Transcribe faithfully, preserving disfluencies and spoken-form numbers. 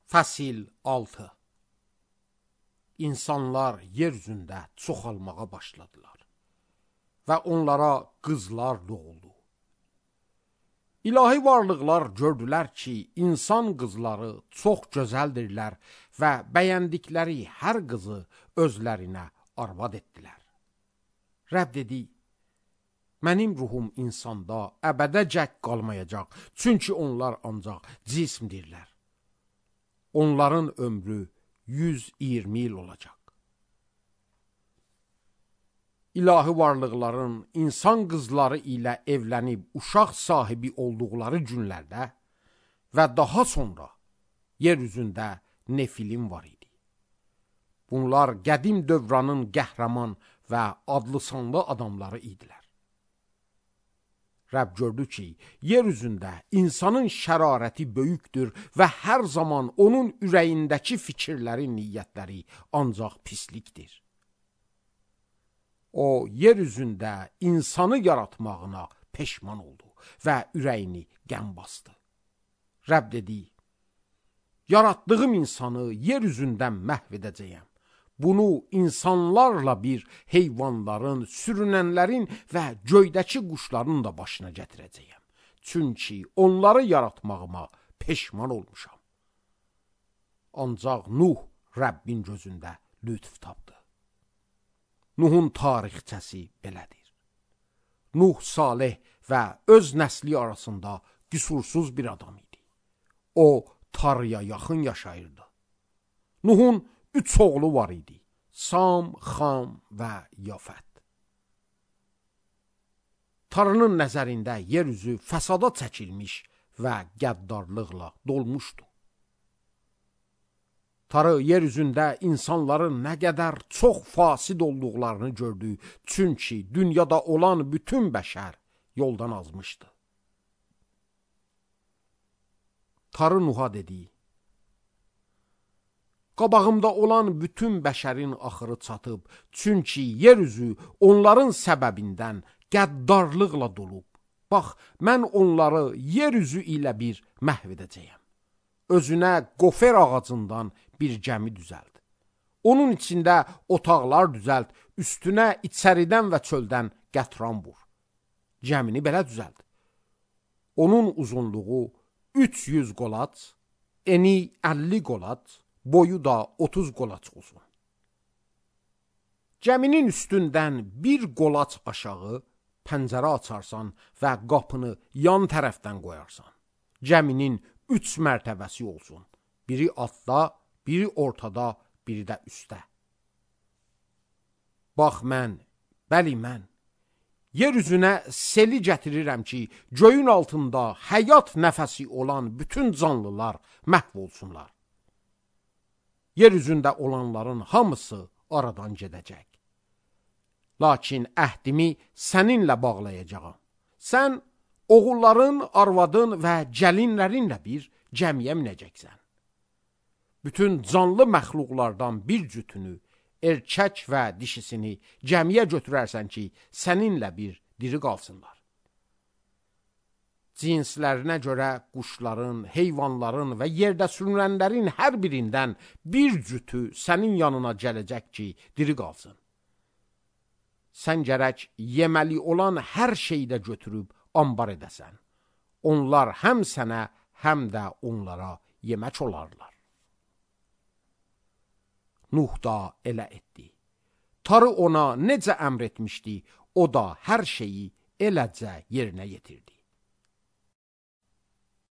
Fəsil altı. İnsanlar yeryüzündə çoxalmağa başladılar və onlara qızlar doğuldu. İlahi varlıqlar gördülər ki, insan qızları çox gözəldirlər və bəyəndikləri hər qızı özlərinə arvad etdilər. Rəbb dedi, mənim ruhum insanda əbədəcək qalmayacaq, çünki onlar ancaq cismdirlər. Onların ömrü yüz iyirmi il olacaq. İlahi varlıqların insan qızları ilə evlənib uşaq sahibi olduqları günlərdə və daha sonra yeryüzündə nefilim var idi. Bunlar qədim dövranın qəhrəman və adlı sanlı adamları idilər. Rəbb gördü ki, yeryüzündə insanın şərarəti böyükdür və hər zaman onun ürəyindəki fikirləri, niyyətləri ancaq pislikdir. O, yeryüzündə insanı yaratmağına peşman oldu və ürəyini qəm bastı. Rəbb dedi, yaratdığım insanı yeryüzündən məhv edəcəyəm. Bunu insanlarla bir heyvanların, sürünənlərin və göydəki quşların da başına gətirəcəyəm. Çünki onları yaratmağıma peşman olmuşam. Ancaq Nuh Rəbbin gözündə lütf tapdı. Nuhun tarixçəsi belədir. Nuh salih və öz nəsli arasında qüsursuz bir adam idi. O, Tanrıya yaxın yaşayırdı. Nuhun üç oğlu var idi. Sam, Xam və Yafət. Tanrının nəzərində yeryüzü fəsada çəkilmiş və qəddarlıqla dolmuşdu. Tanrı yeryüzündə insanların nə qədər çox fasid olduqlarını gördü, çünki dünyada olan bütün bəşər yoldan azmışdı. Tanrı Nuh'a dedi, qabağımda olan bütün bəşərin axırı çatıb, çünki yeryüzü onların səbəbindən qəddarlıqla dolub. Bax, mən onları yeryüzü ilə bir məhv edəcəyəm. Özünə qofer ağacından bir gəmi düzəld. Onun içində otaqlar düzəld, üstünə içəridən və çöldən qətran vur. Gəmini belə düzəld. Onun uzunluğu üç yüz qolaç, eni əlli qolaç, boyu da otuz qolaç olsun. Gəminin üstündən bir qolaç aşağı pəncərə açarsan və qapını yan tərəfdən qoyarsan. Gəminin üç mərtəbəsi olsun. Biri altda, biri ortada, biri də üstdə. Bax mən, bəli mən, yeryüzünə seli gətirirəm ki, göyün altında həyat nəfəsi olan bütün canlılar məhv olsunlar. Yeryüzündə olanların hamısı aradan gedəcək. Lakin əhdimi səninlə bağlayacağam. Sən oğulların, arvadın və gəlinlərinlə bir gəmiyə minəcəksən. Bütün canlı məxluqlardan bir cütünü, erkək və dişisini gəmiyə götürərsən ki, səninlə bir diri qalsınlar. Cinslərinə görə quşların, heyvanların və yerdə sürünənlərin hər birindən bir cütü sənin yanına gələcək ki, diri qalsın. Sən gərək yeməli olan hər şeydə götürüb ambar edəsən. Onlar həm sənə, həm də onlara yemək olarlar. Nuh da elə etdi. Tanrı ona necə əmr etmişdi, o da hər şeyi eləcə yerinə yetirdi.